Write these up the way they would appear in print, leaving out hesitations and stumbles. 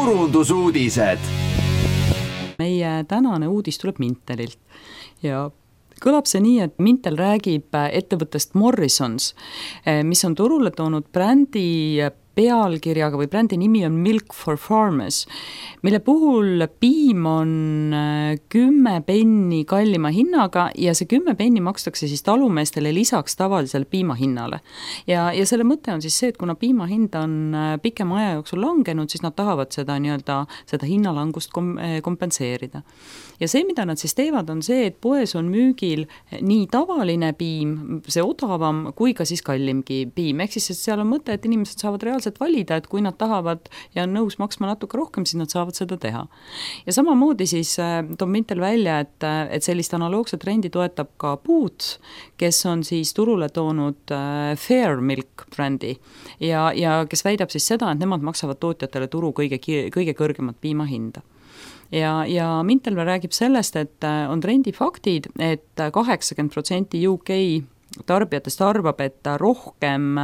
turundusuudised. Meie tänane uudis tuleb Mintelilt ja kõlab see nii, et Mintel räägib ettevõttest Morrisons, mis on turule toonud brändi pealkirjaga või brändi nimi on Milk for Farmers, mille puhul piim on 10 penni kallima hinnaga ja see 10 penni makstakse siis talumeestele lisaks tavalisele piimahinnale. Ja selle mõte on siis see, et kuna piimahind on pikema aja jooksul langenud, siis nad tahavad seda hinnalangust kompenseerida. Ja see, mida nad siis teevad, on see, et poes on müügil nii tavaline piim, see odavam, kui ka siis kallimgi piim. Ehk siis seal on mõte, et inimesed saavad reaalselt valida, et kui nad tahavad ja on nõus maksma natuke rohkem, siis nad saavad seda teha. Ja samamoodi siis toob Mintel välja, et sellist analoogset trendi toetab ka Boots, kes on siis turule toonud Fair Milk brändi ja kes väidab siis seda, et nemad maksavad tootjatele turu kõige kõrgemat piimahinda. Ja Mintel räägib sellest, et on trendifaktid, et 80% UK tarbijatest arvab, et rohkem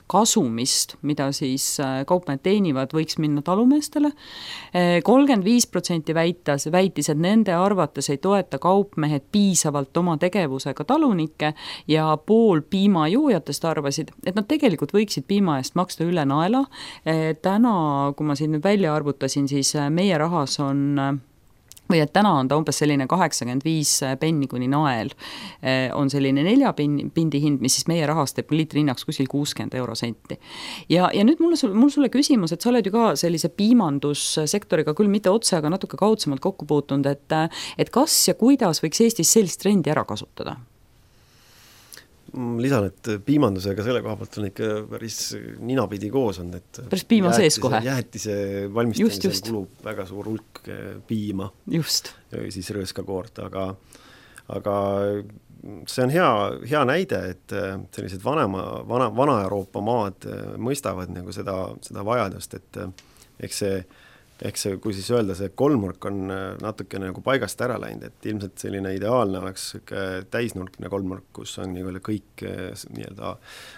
kasumist, mida siis kaupmehed teenivad, võiks minna talumeestele. 35% väitis, et nende arvates ei toeta kaupmehed piisavalt oma tegevusega talunikke ja pool piimajoojatest arvasid, et nad tegelikult võiksid piima eest maksta üle naela. Täna, kui ma siin nüüd välja arvutasin, siis meie rahas on või et täna on ta umbes selline 85 penni kuni nael, on selline 4 pindi hind, mis siis meie rahast teeb liitri hinnaks kuskil 60 eurosenti. Ja nüüd mul sulle küsimus, et sa oled ju ka sellise piimandussektoriga küll mitte otse, aga natuke kaudsemalt kokku puutunud, et kas ja kuidas võiks Eestis sellist trendi ära kasutada? Lisan, et piimandusega selle koha pealt on ikka päris ninapidi koos on, et päris piima sees kohe. Jäätise valmistamisel kulub väga suur hulk piima. Just. Ja siis rõõskakoort, aga see on hea näide, et sellised vana Euroopa maad mõistavad nagu seda vajadust, et eks see, kui siis öelda, see kolmnurk on natuke nagu paigast ära läinud, et ilmselt selline ideaalne oleks täisnurkne kolmnurk, kus on kõik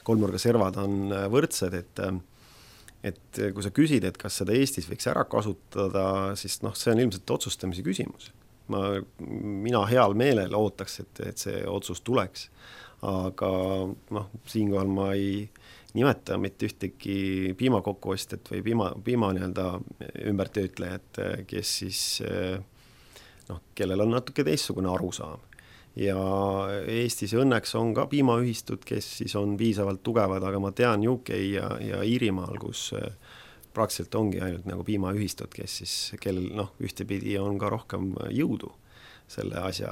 kolmnurga servad on võrdsed, et kui sa küsid, et kas seda Eestis võiks ära kasutada, siis see on ilmselt otsustamise küsimus. Mina heal meelel ootaks, et see otsus tuleks, aga siinkohal ma ei nimeta mitte ühtegi piimakokkuostjat või piima ümbertöötlejat, kes siis, kellel on natuke teistsugune arusaam. Ja Eestis õnneks on ka piimaühistud, kes siis on piisavalt tugevad, aga ma tean UK ja Iirimaal, kus praktiliselt ongi ainult nagu piimaühistud, kellel ühtepidi on ka rohkem jõudu selle asja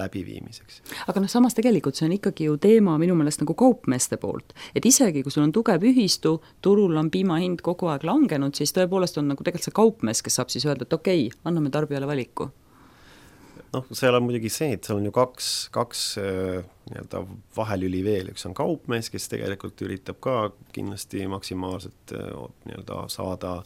läbiviimiseks. Aga samas tegelikult see on ikkagi ju teema minu meelest nagu kaupmeeste poolt, et isegi kui sul on tugev ühistu, turul on piimahind kogu aeg langenud, siis tõepoolest on nagu tegelikult see kaupmees, kes saab siis öelda, et okei, anname tarbijale valiku. Seal on muidugi see, et seal on ju kaks vahelüli veel, üks on kaupmees, kes tegelikult üritab ka kindlasti maksimaalselt saada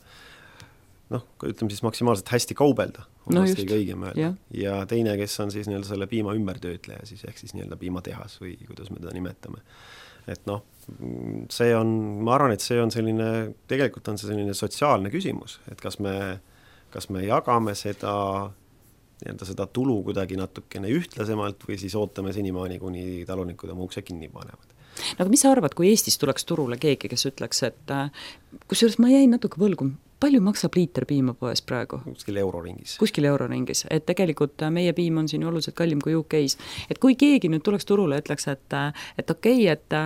ütleme siis maksimaalselt hästi kaubelda, kõige õigem öelda. Ja teine, kes on siis selle piima ümbertöötleja, siis ehk siis piimatehas või kuidas me teda nimetame. Et see on, ma arvan, et see on selline, tegelikult on see selline sotsiaalne küsimus, et kas me jagame seda tulu kuidagi natukene ühtlasemalt või siis ootame senimaani, kuni talunikud oma ukse kinni panevad. Aga mis sa arvad, kui Eestis tuleks turule keegi, kes ütleks, et kusjuures ma jäin natuke võlgu, palju maksab liiter piima poes praegu? Kuskil euroringis. Et tegelikult meie piim on siin oluliselt kallim kui UK-s. Et kui keegi nüüd tuleks turule ja ütleks, et okei, et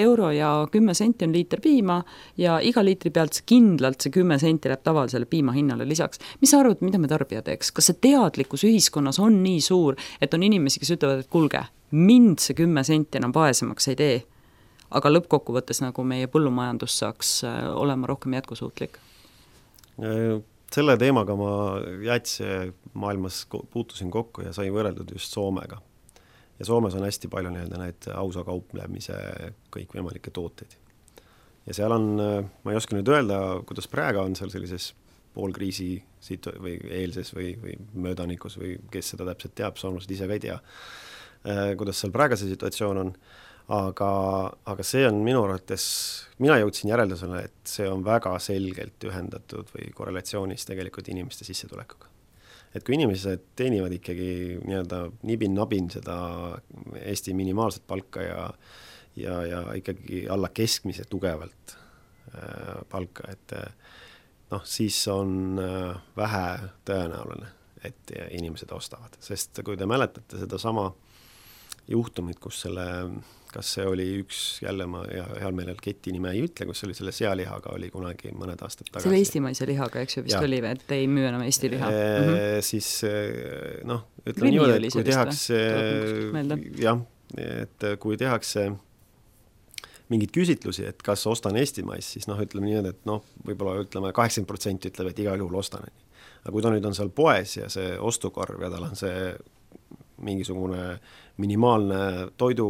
euro ja 10 senti on liiter piima ja iga liitri pealt kindlalt see 10 senti läheb tavalisele piima hinnale lisaks. Mis sa arvad, mida me tarbija teeks? Kas see teadlikkus ühiskonnas on nii suur, et on inimesi, kes ütlevad, et kulge, mind see 10 senti enam vaesemaks ei tee, aga lõppkokkuvõttes nagu meie põllumajandus saaks olema rohkem jätkusuutlik? Selle teemaga ma jäätise maailmas puutusin kokku ja sai võrreldud just Soomega. Ja Soomes on hästi palju need ausa kauplemise kõikvõimalikke tooteid. Ja seal on, ma ei oska nüüd öelda, kuidas praegu on seal sellises poolkriisi või eelses või möödanikus või kes seda täpselt teab, soomlased ise ka ei tea, kuidas seal praegu see situatsioon on. aga see on minu arvates, mina jõudsin järeldusele, et see on väga selgelt ühendatud või korrelatsioonis tegelikult inimeste sissetulekuga. Et kui inimesed teenivad ikkagi nii-öelda nibin-nabin seda Eesti minimaalset palka ja ikkagi alla keskmise tugevalt palka, et siis on vähe tõenäoline, et inimesed ostavad. Sest kui te mäletate seda sama juhtumit, kus kas see oli üks, jälle ma heal meelel keti nime ei ütle, kus oli selle sealihaga oli kunagi mõned aastad tagasi. Selle eestimaise lihaga, eks ju vist oli, et ei müü enam Eesti liha. Siis ütleme niimoodi, et kui tehakse et kui tehakse mingid küsitlusi, et kas ostan eestimais, siis ütleme niimoodi, et võib-olla ütleme 80% ütleb, et igal juhul ostan. Aga kui ta nüüd on seal poes ja see ostukorv ja tal on see mingisugune minimaalne toidu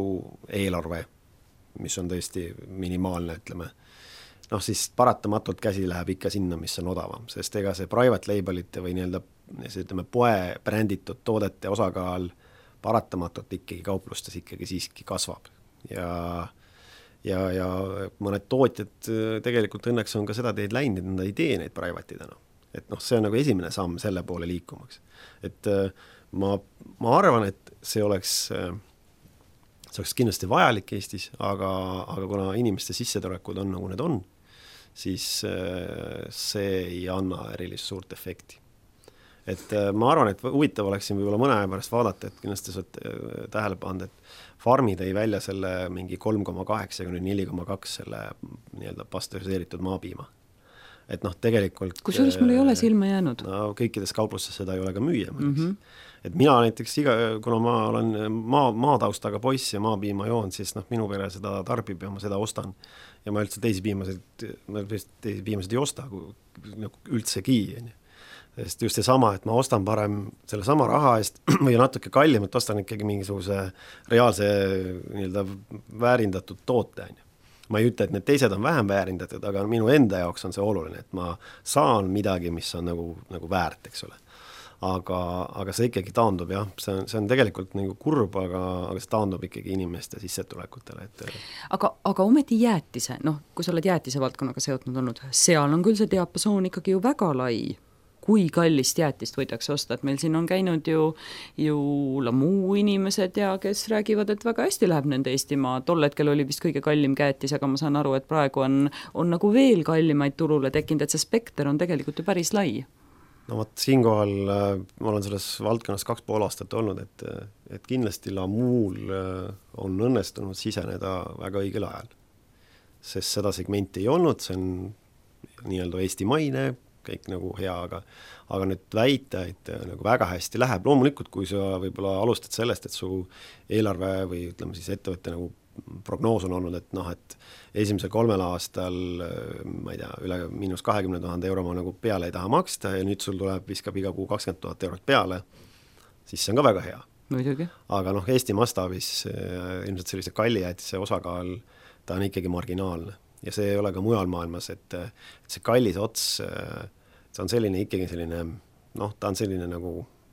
eelarve, mis on tõesti minimaalne, ütleme, siis paratamatult käsi läheb ikka sinna, mis on odavam, sest ega see private labelite või ütleme, poe bränditud toodete osakaal paratamatult ikkagi kauplustes ikkagi siiski kasvab ja mõned tootjad tegelikult õnneks on ka seda teed läinud, et nad ei tee neid private'id enam. Et see on nagu esimene samm selle poole liikumaks. Et ma arvan, et see oleks kindlasti vajalik Eestis, aga kuna inimeste sissetulekuid on nagu need on, siis see ei anna erilist suurt efekti. Et ma arvan, et huvitav oleks siin võib-olla mõne aja pärast vaadata, et kindlasti saad tähele pannud, et Farmi tõi välja selle mingi 3,8 kuni 4,2 selle nii-öelda pastöriseeritud maapiima. Et tegelikult kusjuures mul ei ole silma jäänud. Kõikides kauplustes seda ei ole ka müüa. Et mina näiteks kuna ma olen maataustaga poiss ja maapiima joon, siis minu pere seda tarbib ja ma seda ostan. Ja ma üldse teisi piimasid ei osta üldsegi. Sest just see sama, et ma ostan parem selle sama raha eest või natuke kallim, et ostan ikkagi mingisuguse reaalse nii-öelda väärindatud toote. Ma ei ütle, et need teised on vähem väärindatud, aga minu enda jaoks on see oluline, et ma saan midagi, mis on nagu väärt, eks ole. Aga see ikkagi taandub, jah, see on tegelikult nagu kurb, aga see taandub ikkagi inimeste sissetulekutele. Aga ometi jäätise, kui sa oled jäätise valdkonnaga seotud olnud, seal on küll see diapasoon ikkagi ju väga lai. Kui kallist jäätist võidakse osta, et meil siin on käinud ju Lamuu inimesed ja kes räägivad, et väga hästi läheb nende Eestimaa. Tol hetkel oli vist kõige kallim käetis, aga ma saan aru, et praegu on nagu veel kallimaid turule tekkinud, et see spekter on tegelikult ju päris lai. Siinkohal ma olen selles valdkonnas 2,5 aastat olnud, et kindlasti Lamuul on õnnestunud siseneda väga õigel ajal. Sest seda segmenti ei olnud, see on nii-öelda eestimaine, kõik nagu hea, aga nüüd väita, et nagu väga hästi läheb. Loomulikult, kui sa võib-olla alustad sellest, et su eelarve või ütleme siis ettevõtte nagu prognoos on olnud, et esimesel 3 aastal, ma ei tea, üle -20,000 euro ma nagu peale ei taha maksta ja nüüd sul tuleb viskab iga kuu 20,000 eurot peale, siis see on ka väga hea. Muidugi. Aga Eesti mastaabis ilmselt sellise kallijäätise osakaal, ta on ikkagi marginaalne. Ja see ei ole ka mujal maailmas, et see kallis ots, see on selline ikkagi selline, ta on selline nagu,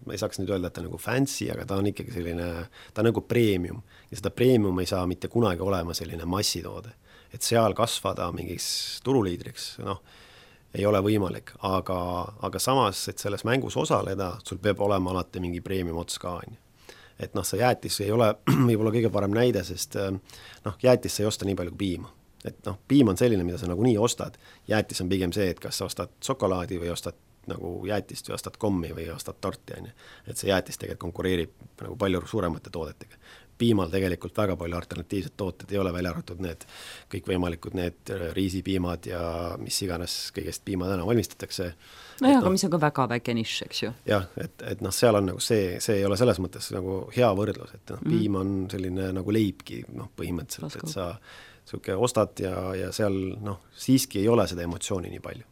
ma ei saaks nüüd öelda, et ta nagu fancy, aga ta on ikkagi selline, ta on nagu premium. Ja seda premium ei saa mitte kunagi olema selline massitoode. Et seal kasvada mingiks turuliidriks, ei ole võimalik. Aga samas, et selles mängus osaleda, sul peab olema alati mingi premium ots ka. Et see jäätis ei ole võib-olla kõige parem näide, sest jäätis ei osta nii palju kui piima. Et piim on selline, mida sa nagu nii ostad. Jäätis on pigem see, et kas sa ostad šokolaadi või ostad nagu jäätist või ostad kommi või ostad torti. Et see jäätis tegelikult konkureerib nagu palju suuremate toodetega. Piimal tegelikult väga palju alternatiivsed tooted ei ole välja arvatud need kõikvõimalikud need riisipiimad ja mis iganes kõigest piimad enam valmistatakse. Aga mis on ka väga väike nišš, eks ju. Jah, et seal on nagu see ei ole selles mõttes nagu hea võrdlus, et piim on selline nagu leibki põhimõtteliselt, et sa ostad ja seal siiski ei ole seda emotsiooni nii palju.